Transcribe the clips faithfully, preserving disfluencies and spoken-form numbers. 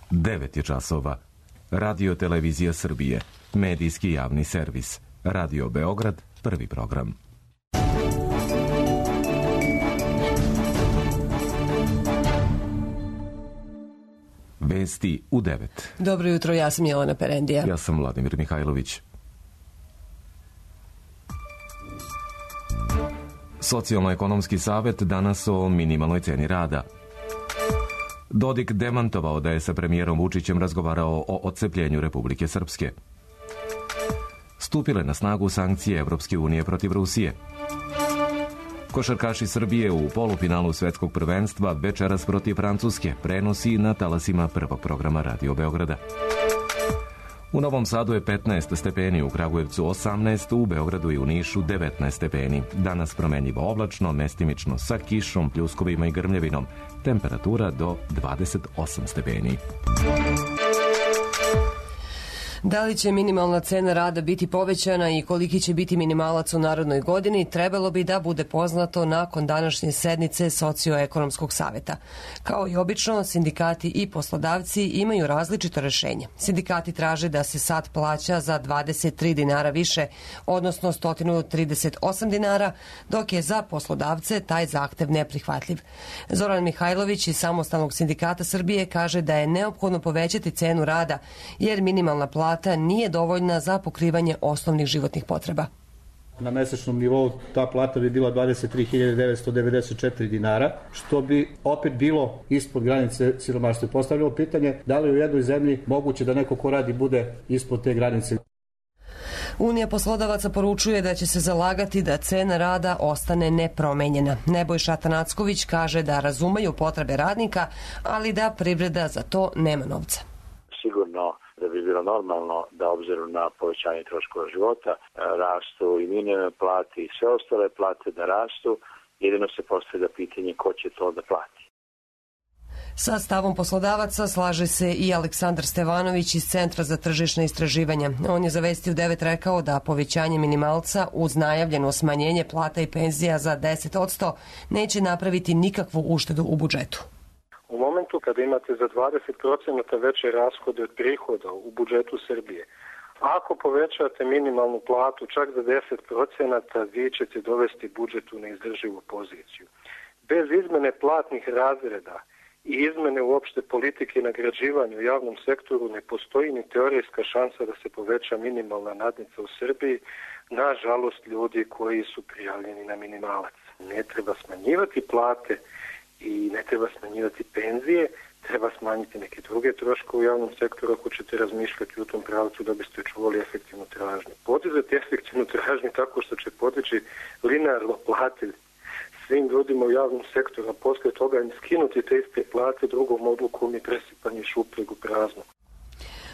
devet je časova. Radio Televizija Srbije, medijski javni servis. Radio Beograd, prvi program. Vesti u devet. Dobro jutro, ja sam Jelena Perendija. Ja sam Vladimir Mihajlović. Socijalno-ekonomski savet danas o minimalnoj ceni rada. Dodik demantovao da je sa premijerom Vučićem razgovarao o odcepljenju Republike Srpske. Stupile na snagu sankcije Evropske unije protiv Rusije. Košarkaši Srbije u polufinalu svetskog prvenstva večeras protiv Francuske prenosi na talasima prvog programa Radio Beograda. U Novom Sadu je petnaest stepeni, u Kragujevcu osamnaest, u Beogradu i u Nišu devetnaest stepeni. Danas promenljivo oblačno, mestimično sa kišom, pljuskovima i grmljevinom. Temperatura do dvadeset osam stepeni. Da li će minimalna cena rada biti povećana i koliki će biti minimalac u narednoj godini, trebalo bi da bude poznato nakon današnje sednice Socioekonomskog saveta. Kao i obično, sindikati i poslodavci imaju različito rešenje. Sindikati traže da se sat plaća za dvadeset tri dinara više, odnosno sto trideset osam dinara, dok je za poslodavce taj zahtev neprihvatljiv. Zoran Mihajlović iz Samostalnog sindikata Srbije kaže da je neophodno povećati cenu rada, jer minimalna plata nije dovoljna za pokrivanje osnovnih životnih potreba. Na mesečnom nivou ta plata bi bila dvadeset tri hiljade devetsto devedeset četiri dinara, što bi opet bilo ispod granice siromaštva. Postavljamo pitanje da li u jednoj zemlji moguće da neko ko radi bude ispod te granice. Unija poslodavaca poručuje da će se zalagati da cena rada ostane nepromenjena. Nebojša Atanacković kaže da razumeju potrebe radnika, ali da privreda za to nema novca. Sigurno da bi bilo normalno da obzirom na povećanje troškova života rastu i minimalne plate i sve ostale plate da rastu, jedino se postavlja pitanje ko će to da plati. Sa stavom poslodavaca slaže se i Aleksandar Stevanović iz Centra za tržišna istraživanja. On je za Vesti u devet rekao da povećanje minimalca uz najavljeno smanjenje plata i penzija za deset posto neće napraviti nikakvu uštedu u budžetu. U momentu kada imate za dvadeset procenata veće rashode od prihoda u budžetu Srbije, ako povećate minimalnu platu čak za deset procenata, vi ćete dovesti budžet u neizdrživu poziciju. Bez izmene platnih razreda i izmene uopšte politike nagrađivanja u javnom sektoru ne postoji ni teorijska šansa da se poveća minimalna nadnica u Srbiji, nažalost ljudi koji su prijavljeni na minimalac. Ne treba smanjivati plate i ne treba smanjivati penzije, treba smanjiti neke druge troškove u javnom sektoru ako ćete razmišljati u tom pravcu da biste čuvali efektivnu tražnju. Podizati efektivnu tražnju tako što će podići linearno plate svim ljudima u javnom sektoru, a posle toga im skinuti te iste plate drugom odlukom i presipanje šupljeg u prazno.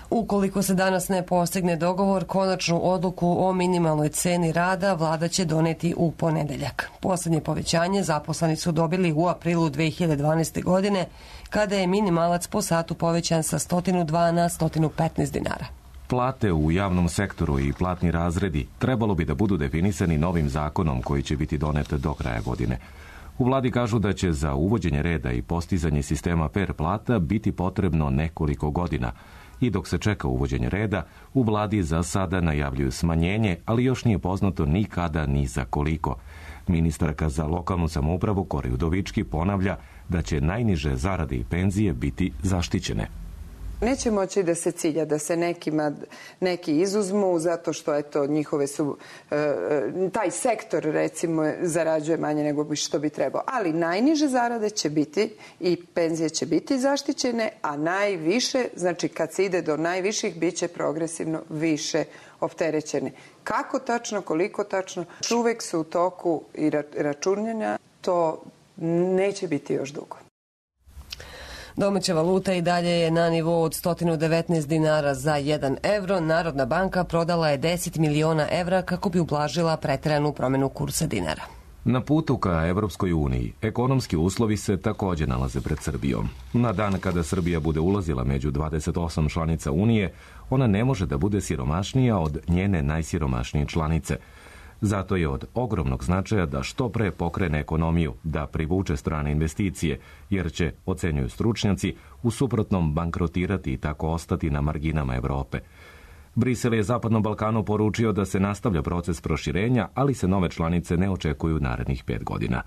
Ukoliko se danas ne postigne dogovor, konačnu odluku o minimalnoj ceni rada vlada će doneti u ponedeljak. Poslednje povećanje zaposleni su dobili u aprilu dve hiljade dvanaeste. godine, kada je minimalac po satu povećan sa sto dva na sto petnaest dinara. Plate u javnom sektoru i platni razredi trebalo bi da budu definisani novim zakonom koji će biti donet do kraja godine. U vladi kažu da će za uvođenje reda i postizanje sistema fer plata biti potrebno nekoliko godina. I dok se čeka uvođenje reda, u vladi za sada najavljuju smanjenje, ali još nije poznato ni kada ni za koliko. Ministarka za lokalnu samoupravu Kori Udovički ponavlja da će najniže zarade i penzije biti zaštićene. Neće moći da se cilja, da se nekima, neki izuzmu zato što eto, njihove su, e, taj sektor recimo zarađuje manje nego što bi trebao. Ali najniže zarade će biti i penzije će biti zaštićene, a najviše, znači kad se ide do najviših, bit će progresivno više opterećene. Kako tačno, koliko tačno, uvek su u toku i računanja, to neće biti još dugo. Domaća valuta i dalje je na nivou od sto devetnaest dinara za jedan evro. Narodna banka prodala je deset miliona evra kako bi ublažila preteranu promenu kursa dinara. Na putu ka Evropskoj uniji, ekonomski uslovi se takođe nalaze pred Srbijom. Na dan kada Srbija bude ulazila među dvadeset osam članica Unije, ona ne može da bude siromašnija od njene najsiromašnije članice. Zato je od ogromnog značaja da što pre pokrene ekonomiju, da privuče strane investicije, jer će, ocenjuju stručnjaci, u suprotnom bankrotirati i tako ostati na marginama Evrope. Brisel je Zapadnom Balkanu poručio da se nastavlja proces proširenja, ali se nove članice ne očekuju narednih pet godina.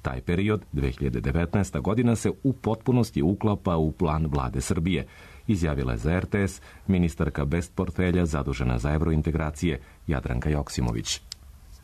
Taj period, dve hiljade devetnaesta. godina, se u potpunosti uklapa u plan vlade Srbije, izjavila je za er te es ministarka bez portfelja zadužena za evrointegracije Jadranka Joksimović.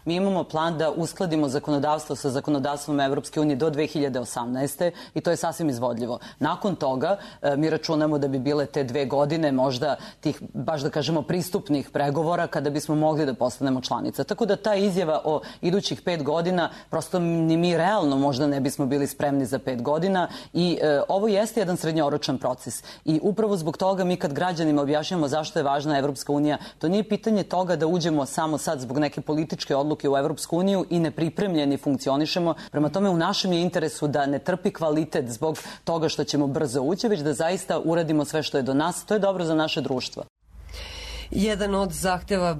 Mi imamo plan da uskladimo zakonodavstvo sa zakonodavstvom Evropske unije do dve hiljade osamnaeste. i to je sasvim izvodljivo. Nakon toga mi računamo da bi bile te dve godine možda tih, baš da kažemo, pristupnih pregovora kada bismo mogli da postanemo članica. Tako da ta izjava o idućih pet godina, prosto ni mi realno možda ne bismo bili spremni za pet godina i e, ovo jeste jedan srednjoročan proces. I upravo zbog toga mi kad građanima objašnjamo zašto je važna Evropska unija, to nije pitanje toga da uđemo samo sad zbog neke političke odluke u Evropsku uniju i nepripremljeni funkcionišemo. Prema tome, u našem je interesu da ne trpi kvalitet zbog toga što ćemo brzo ući, već da zaista uradimo sve što je do nas. To je dobro za naše društvo. Jedan od zahteva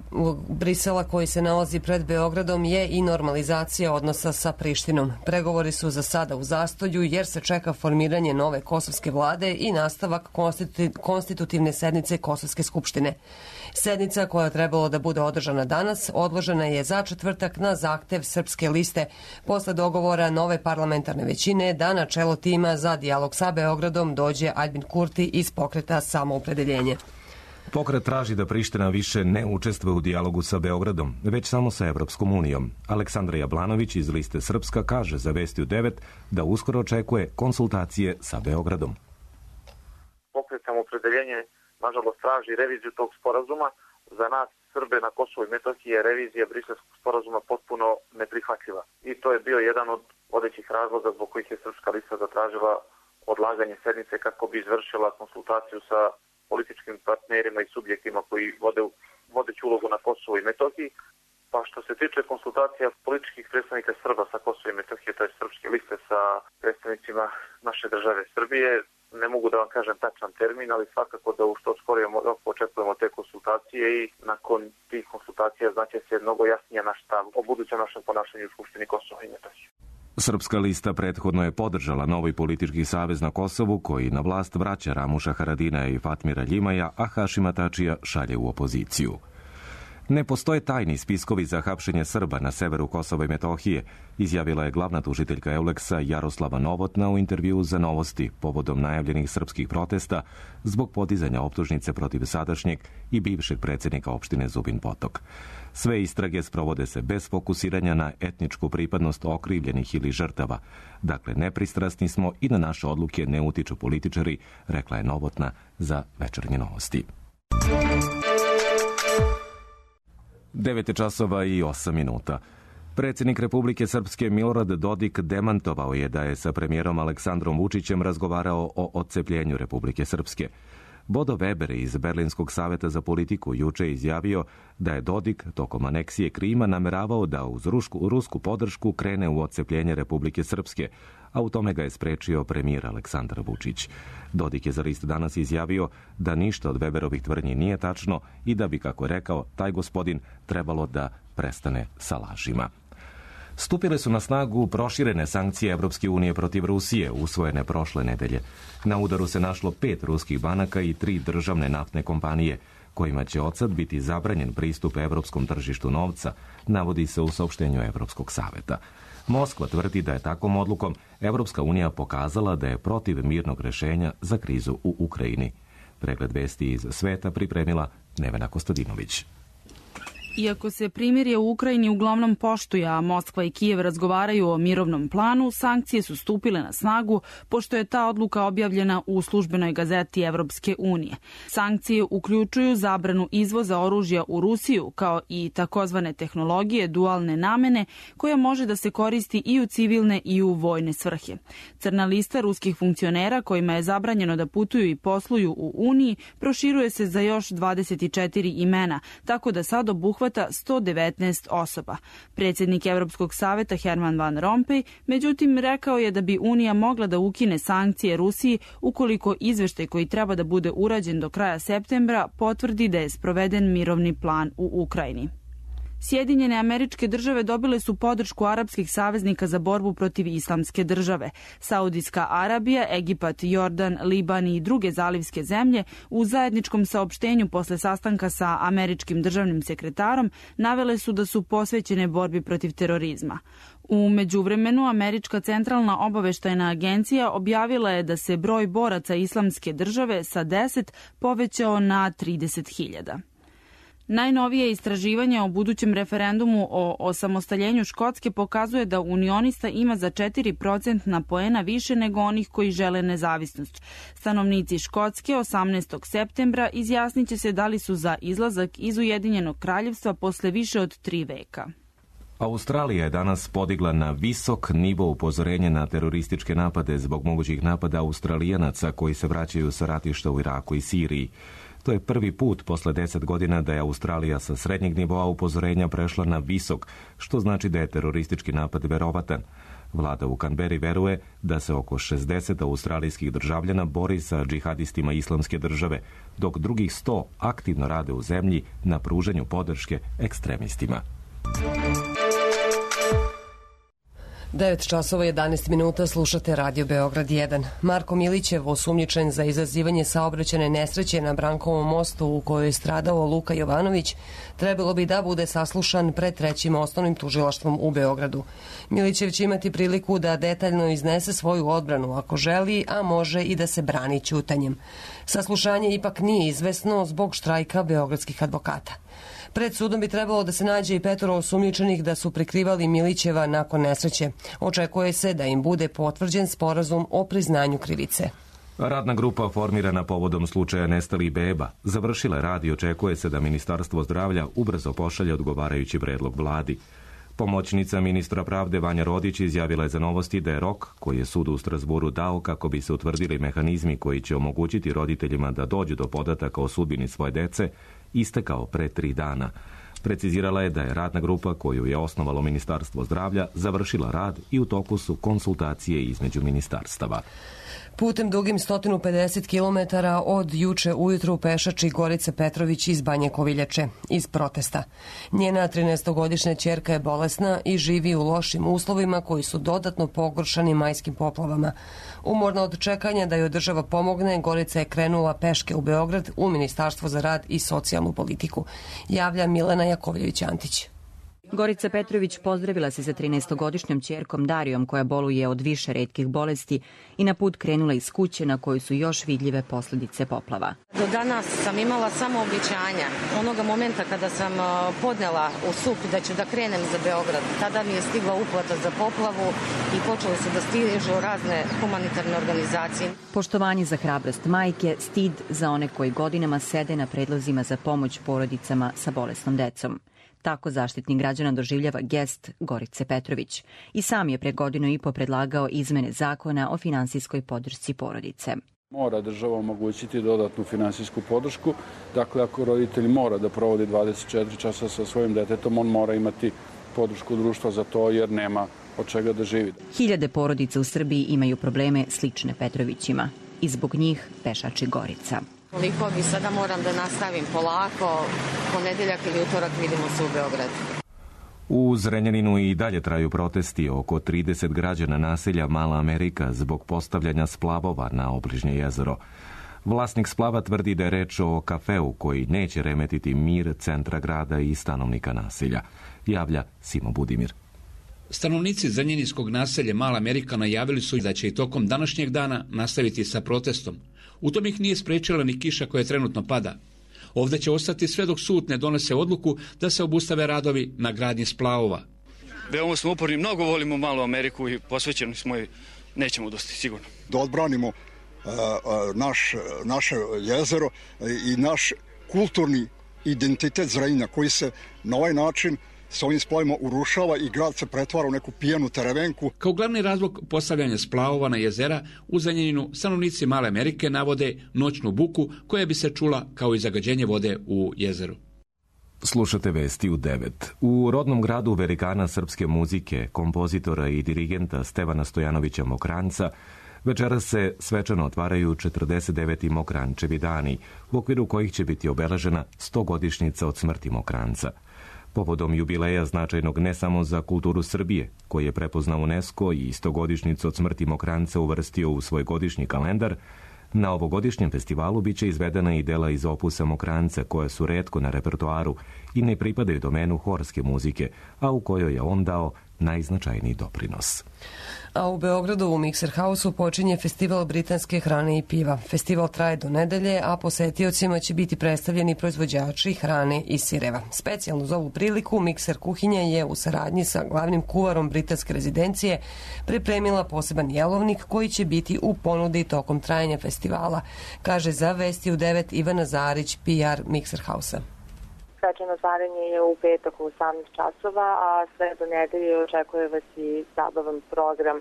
Brisela koji se nalazi pred Beogradom je i normalizacija odnosa sa Prištinom. Pregovori su za sada u zastoju jer se čeka formiranje nove kosovske vlade i nastavak konstitutivne sednice Kosovske skupštine. Sednica koja je trebalo da bude održana danas odložena je za četvrtak na zahtev Srpske liste posle dogovora nove parlamentarne većine da na čelo tima za dijalog sa Beogradom dođe Aljbin Kurti iz pokreta Samoopredeljenje. Pokret traži da Priština više ne učestvuje u dijalogu sa Beogradom, već samo sa Evropskom unijom. Aleksandra Jablanović iz liste Srpska kaže za Vesti u devet da uskoro očekuje konsultacije sa Beogradom. Pokret Samoopredeljenje, nažalost, traži reviziju tog sporazuma. Za nas, Srbe na Kosovu i Metohiji, je revizija Briselskog sporazuma potpuno neprihvatljiva. I to je bio jedan od vodećih razloga zbog kojih je Srpska lista zatražila odlaganje sednice kako bi izvršila konsultaciju sa političkim partnerima i subjektima koji vode vodeću ulogu na Kosovu i Metohiji. Pa što se tiče konsultacija političkih predstavnika Srba sa Kosova i Metohije, to je Srpske liste sa predstavnicima naše države Srbije, ne mogu da vam kažem tačan termin, ali svakako da u što skorijem roku očekujemo te konsultacije i nakon tih konsultacija znaće se mnogo jasnije naš stav o budućem našem ponašanju u Skupštini Kosova i Metohije. Srpska lista prethodno je podržala novi politički savez na Kosovu koji na vlast vraća Ramuša Haradinaja i Fatmira Ljimaja, a Hašima Tačija šalje u opoziciju. Ne postoje tajni spiskovi za hapšenje Srba na severu Kosova i Metohije, izjavila je glavna tužiteljka Euleksa Jaroslava Novotna u intervjuu za Novosti povodom najavljenih srpskih protesta zbog podizanja optužnice protiv sadašnjeg i bivšeg predsjednika opštine Zubin Potok. Sve istrage sprovode se bez fokusiranja na etničku pripadnost okrivljenih ili žrtava. Dakle, nepristrasni smo i na naše odluke ne utiču političari, rekla je Novotna za Večernje novosti. devet časova i osam minuta. Predsjednik Republike Srpske Milorad Dodik demantovao je da je sa premijerom Aleksandrom Vučićem razgovarao o odcepljenju Republike Srpske. Bodo Weber iz Berlinskog saveta za politiku juče izjavio da je Dodik tokom aneksije Krima nameravao da uz rusku, rusku podršku krene u odcepljenje Republike Srpske, a u tome ga je sprečio premijer Aleksandar Vučić. Dodik je za list Danas izjavio da ništa od Weberovih tvrdnji nije tačno i da bi, kako je rekao, taj gospodin trebalo da prestane sa lažima. Stupile su na snagu proširene sankcije Evropske unije protiv Rusije, usvojene prošle nedelje. Na udaru se našlo pet ruskih banaka i tri državne naftne kompanije, kojima će odsad biti zabranjen pristup evropskom tržištu novca, navodi se u saopštenju Evropskog saveta. Moskva tvrdi da je takvom odlukom Evropska unija pokazala da je protiv mirnog rešenja za krizu u Ukrajini. Pregled vesti iz sveta pripremila Nevena Kostadinović. Iako se primirje u Ukrajini uglavnom poštuje, a Moskva i Kijev razgovaraju o mirovnom planu, sankcije su stupile na snagu pošto je ta odluka objavljena u službenoj gazeti Evropske unije. Sankcije uključuju zabranu izvoza oružja u Rusiju, kao i takozvane tehnologije dualne namene, koja može da se koristi i u civilne i u vojne svrhe. Crna lista ruskih funkcionera kojima je zabranjeno da putuju i posluju u Uniji proširuje se za još dvadeset četiri imena, tako da sad obuhvata sto devetnaest osoba. Predsjednik Evropskog saveta Herman Van Rompuy, međutim, rekao je da bi Unija mogla da ukine sankcije Rusiji ukoliko izveštaj koji treba da bude urađen do kraja septembra potvrdi da je sproveden mirovni plan u Ukrajini. Sjedinjene Američke Države dobile su podršku arapskih saveznika za borbu protiv islamske države. Saudijska Arabija, Egipat, Jordan, Liban i druge zalivske zemlje u zajedničkom saopštenju posle sastanka sa američkim državnim sekretarom navele su da su posvećene borbi protiv terorizma. U međuvremenu, Američka centralna obaveštajna agencija objavila je da se broj boraca islamske države sa deset povećao na trideset hiljada. Najnovije istraživanje o budućem referendumu o osamostaljenju Škotske pokazuje da unionista ima za četiri procentna poena više nego onih koji žele nezavisnost. Stanovnici Škotske osamnaestog septembra izjasniće se da li su za izlazak iz Ujedinjenog kraljevstva posle više od tri veka. Australija je danas podigla na visok nivo upozorenje na terorističke napade zbog mogućih napada Australijanaca koji se vraćaju sa ratišta u Iraku i Siriji. To je prvi put posle deset godina da je Australija sa srednjeg nivoa upozorenja prešla na visok, što znači da je teroristički napad verovatan. Vlada u Kanberi veruje da se oko šezdeset australijskih državljana bori sa džihadistima islamske države, dok drugih sto aktivno rade u zemlji na pružanju podrške ekstremistima. devet časova jedanaest minuta, slušate Radio Beograd jedan. Marko Milićev, osumnjičen za izazivanje saobraćajne nesreće na Brankovom mostu u kojoj je stradao Luka Jovanović, trebalo bi da bude saslušan pred trećim osnovnim tužilaštvom u Beogradu. Milićev će imati priliku da detaljno iznese svoju odbranu ako želi, a može i da se brani ćutanjem. Saslušanje ipak nije izvesno zbog štrajka beogradskih advokata. Pred sudom bi trebalo da se nađe i petoro osumnjičenih da su prikrivali Milićeva nakon nesreće. Očekuje se da im bude potvrđen sporazum o priznanju krivice. Radna grupa formirana povodom slučaja nestalih beba završila rad i očekuje se da Ministarstvo zdravlja ubrzo pošalje odgovarajući predlog vladi. Pomoćnica ministra pravde Vanja Rodić izjavila je za Novosti da je rok koji je sud u Strazburu dao kako bi se utvrdili mehanizmi koji će omogućiti roditeljima da dođu do podataka o sudbini svoje dece istekao pre tri dana. Precizirala je da je radna grupa koju je osnovalo Ministarstvo zdravlja završila rad i u toku su konsultacije između ministarstava. Putem dugim sto pedeset kilometara od juče ujutru pešači Gorica Petrović iz Banje Koviljače, iz protesta. Njena trinaestogodišnja ćerka je bolesna i živi u lošim uslovima koji su dodatno pogoršani majskim poplavama. Umorna od čekanja da joj država pomogne, Gorica je krenula peške u Beograd u Ministarstvo za rad i socijalnu politiku. Javlja Milena Jakovljević-Antić. Gorica Petrović pozdravila se sa trinaestogodišnjom ćerkom Darijom koja boluje od više retkih bolesti i na put krenula iz kuće na kojoj su još vidljive posledice poplava. Do danas sam imala samo obećanja. Onoga momenta kada sam podnela u S U P da ću da krenem za Beograd, tada mi je stigla uplata za poplavu i počeli su da stižu razne humanitarne organizacije. Poštovanje za hrabrost majke, stid za one koji godinama sede na predlozima za pomoć porodicama sa bolesnom decom. Tako Zaštitnik građana doživljava gest Gorice Petrović. I sam je pre godinu i po predlagao izmene zakona o finansijskoj podršci porodice. Mora država omogućiti dodatnu finansijsku podršku. Dakle, ako roditelj mora da provodi dvadeset četiri časa sa svojim detetom, on mora imati podršku društva za to jer nema od čega da živi. Hiljade porodica u Srbiji imaju probleme slične Petrovićima i zbog njih pešači Gorica. Koliko bi sada moram da nastavim polako, ponedeljak ili utorak vidimo se u Beogradu. U Zrenjaninu i dalje traju protesti oko trideset građana naselja Mala Amerika zbog postavljanja splavova na obližnje jezero. Vlasnik splava tvrdi da je reč o kafeu koji neće remetiti mir centra grada i stanovnika naselja. Javlja Simo Budimir. Stanovnici zrenjaninskog naselja Mala Amerika najavili su da će i tokom današnjeg dana nastaviti sa protestom. U tom ih nije sprečila ni kiša koja trenutno pada. Ovde će ostati sve dok sud ne donese odluku da se obustave radovi na gradnji splavova. Veoma smo uporni, mnogo volimo Malu Ameriku i posvećeni smo i nećemo dosti sigurno. Da odbranimo uh, naš, naše jezero i naš kulturni identitet Zrenjanina koji se na ovaj način s ovim splavima urušava i grad se pretvara u neku pijanu terevenku. Kao glavni razlog postavljanja splavova na jezera u Zrenjaninu stanovnici Male Amerike navode noćnu buku koja bi se čula kao i zagađenje vode u jezeru. Slušate vesti u devet. U rodnom gradu velikana srpske muzike, kompozitora i dirigenta Stevana Stojanovića Mokranjca večeras se svečano otvaraju četrdeset deveti Mokranjčevi dani, u okviru kojih će biti obeležena stogodišnjica od smrti Mokranjca. Povodom jubileja značajnog ne samo za kulturu Srbije, koji je prepoznao UNESCO i istogodišnjicu od smrti Mokranjca uvrstio u svoj godišnji kalendar, na ovogodišnjem festivalu biće izvedena i dela iz opusa Mokranjca koja su retko na repertoaru i ne pripadaju domenu horske muzike, a u kojoj je on dao najznačajniji doprinos. A u Beogradu u Mikser Hausu počinje festival britanske hrane i piva. Festival traje do nedelje, a posetiocima će biti predstavljeni proizvođači hrane i sireva. Specijalno za ovu priliku Mikser kuhinja je u saradnji sa glavnim kuvarom britanske rezidencije pripremila poseban jelovnik koji će biti u ponudi tokom trajanja festivala, kaže za Vesti u devet Ivana Zarić, P R Mikser Hausa. Svečano otvaranje je u petak u osamnaest časova, a sve do nedelje očekuje vas i zabavan program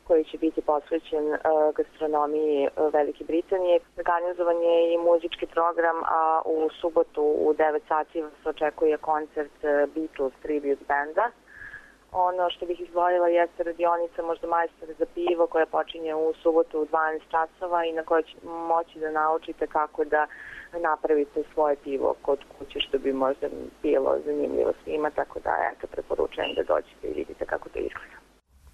koji će biti posvećen uh, gastronomiji uh, Velike Britanije. Organizovan je i muzički program, a u subotu u devet sati vas očekuje koncert uh, Beatles Tribute Banda. Ono što bih izdvojila jeste radionica možda majstor za pivo koja počinje u subotu u dvanaest časova i na kojoj će moći da naučite kako da napravite svoje pivo kod kuće, što bi možda bilo zanimljivo svima, tako da eto, preporučujem da dođete i vidite kako to izgleda.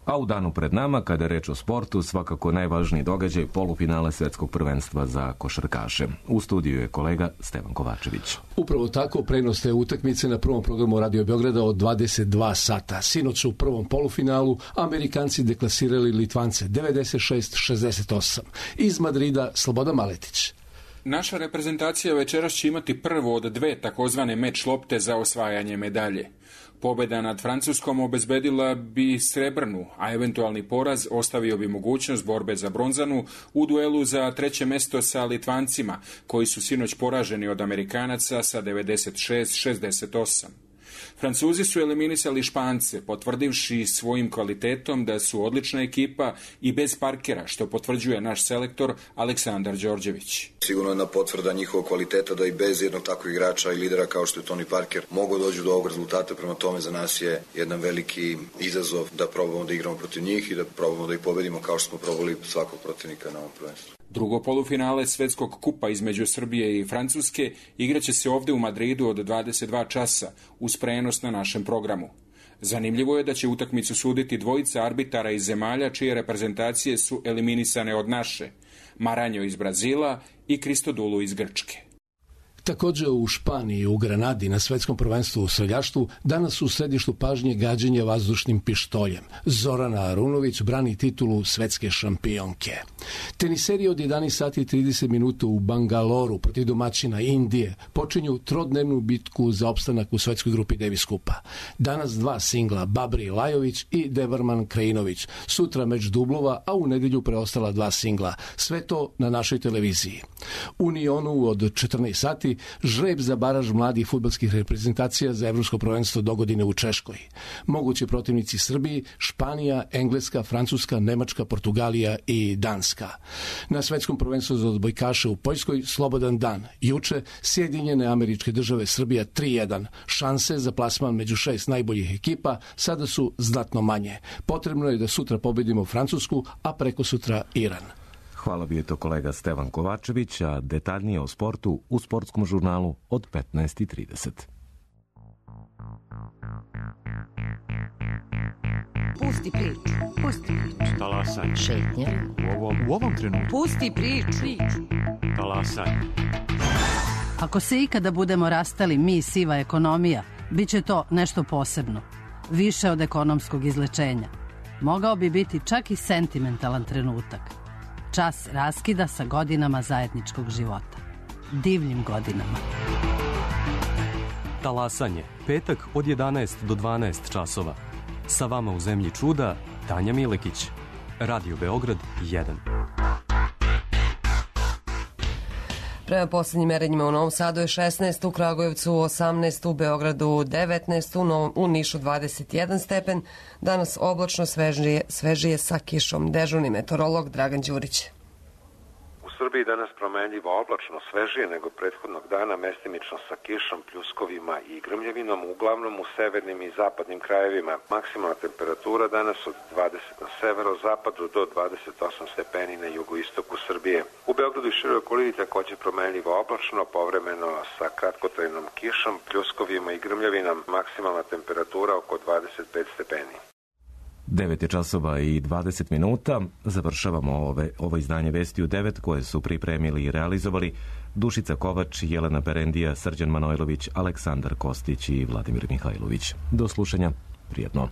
A u danu pred nama, kada je reč o sportu, svakako najvažniji događaj polufinale svetskog prvenstva za košarkaše. U studiju je kolega Stevan Kovačević. Upravo tako prenos te utakmice na prvom programu Radio Beograda od dvadeset dva sata. Sinoć u prvom polufinalu Amerikanci deklasirali Litvance devedeset šest šezdeset osam. Iz Madrida Slobodan Maletić. Naša reprezentacija večeras će imati prvo od dve takozvane meč lopte za osvajanje medalje. Pobjeda nad Francuskom obezbedila bi srebrnu, a eventualni poraz ostavio bi mogućnost borbe za bronzanu u duelu za treće mesto sa Litvancima, koji su sinoć poraženi od Amerikanaca sa devedeset šest šezdeset osam. Francuzi su eliminisali Špance, potvrdivši svojim kvalitetom da su odlična ekipa i bez Parkera, što potvrđuje naš selektor Aleksandar Đorđević. Sigurno jedna potvrda njihovog kvaliteta da i bez jednog takvog igrača i lidera kao što je Tony Parker mogu dođu do ovog rezultata, prema tome za nas je jedan veliki izazov da probamo da igramo protiv njih i da probamo da ih pobedimo kao što smo probali svakog protivnika na ovom prvenstvu. Drugo polufinale svetskog kupa između Srbije i Francuske igraće se ovde u Madridu od dvadeset dva časa uz prenos na našem programu. Zanimljivo je da će utakmicu suditi dvojica arbitara iz zemalja čije reprezentacije su eliminisane od naše, Maranjo iz Brazila i Kristodulu iz Grčke. Također u Španiji, u Granadi, na svetskom prvenstvu u streljaštvu, danas su u središtu pažnje gađenja vazdušnim pištoljem. Zorana Arunović brani titulu svetske šampionke. Teniseri od jedanaest sati i trideset minuta u Bangaloru protiv domaćina Indije počinju trodnevnu bitku za opstanak u svetskoj grupi Davis Kupa. Danas dva singla, Babri Lajović i Devarman Krajinović. Sutra meč dublova, a u nedjelju preostala dva singla. Sve to na našoj televiziji. U Nionu od četrnaest sati žreb za baraž mladih fudbalskih reprezentacija za evropsko prvenstvo dogodine u Češkoj. Mogući protivnici Srbiji, Španija, Engleska, Francuska, Nemačka, Portugalija i Danska. Na svetskom prvenstvu za odbojkaše u Poljskoj slobodan dan. Juče Sjedinjene Američke Države Srbija tri jedan. Šanse za plasman među šest najboljih ekipa sada su znatno manje. Potrebno je da sutra pobedimo Francusku, a preko sutra Iran. Hvala, bio je to kolega Stevan Kovačević, a detaljnije o sportu u sportskom žurnalu od petnaest i trideset. Pusti priču, pusti priču. Talasaj. Šetnja. U ovom, u ovom trenutku. Pusti priču. Talasaj. Ako se ikada budemo rastali mi i siva ekonomija, bit će to nešto posebno. Više od ekonomskog izlečenja. Mogao bi biti čak i sentimentalan trenutak. Čas raskida sa godinama zajedničkog života. Divljim godinama. Talasanje. Petak od jedanaest do dvanaest časova. Sa vama u zemlji čuda, Tanja Milekić. Radio Beograd jedan. Prema posljednjim merenjima u Novom Sadu je šesnaest, u Kragujevcu osamnaest, u Beogradu devetnaest, u, Novom, u Nišu dvadeset jedan stepen. Danas oblačno, svežije, svežije sa kišom. Dežurni meteorolog Dragan Đurić. U Srbiji danas promenljivo oblačno, svežije nego prethodnog dana, mestimično sa kišom, pljuskovima i grmljavinom, uglavnom u severnim i zapadnim krajevima. Maksimalna temperatura danas od dvadeset na severozapadu do dvadeset osam stepeni na jugoistoku Srbije. U Beogradu i široj okolini takođe promenljivo oblačno, povremeno sa kratkotrajnom kišom, pljuskovima i grmljavinom, maksimalna temperatura oko dvadeset pet stepeni. devet je časova i dvadeset minuta. Završavamo ove, ovo izdanje Vesti u devet koje su pripremili i realizovali Dušica Kovač, Jelena Perendija, Srđan Manojlović, Aleksandar Kostić i Vladimir Mihajlović. Do slušanja. Prijetno.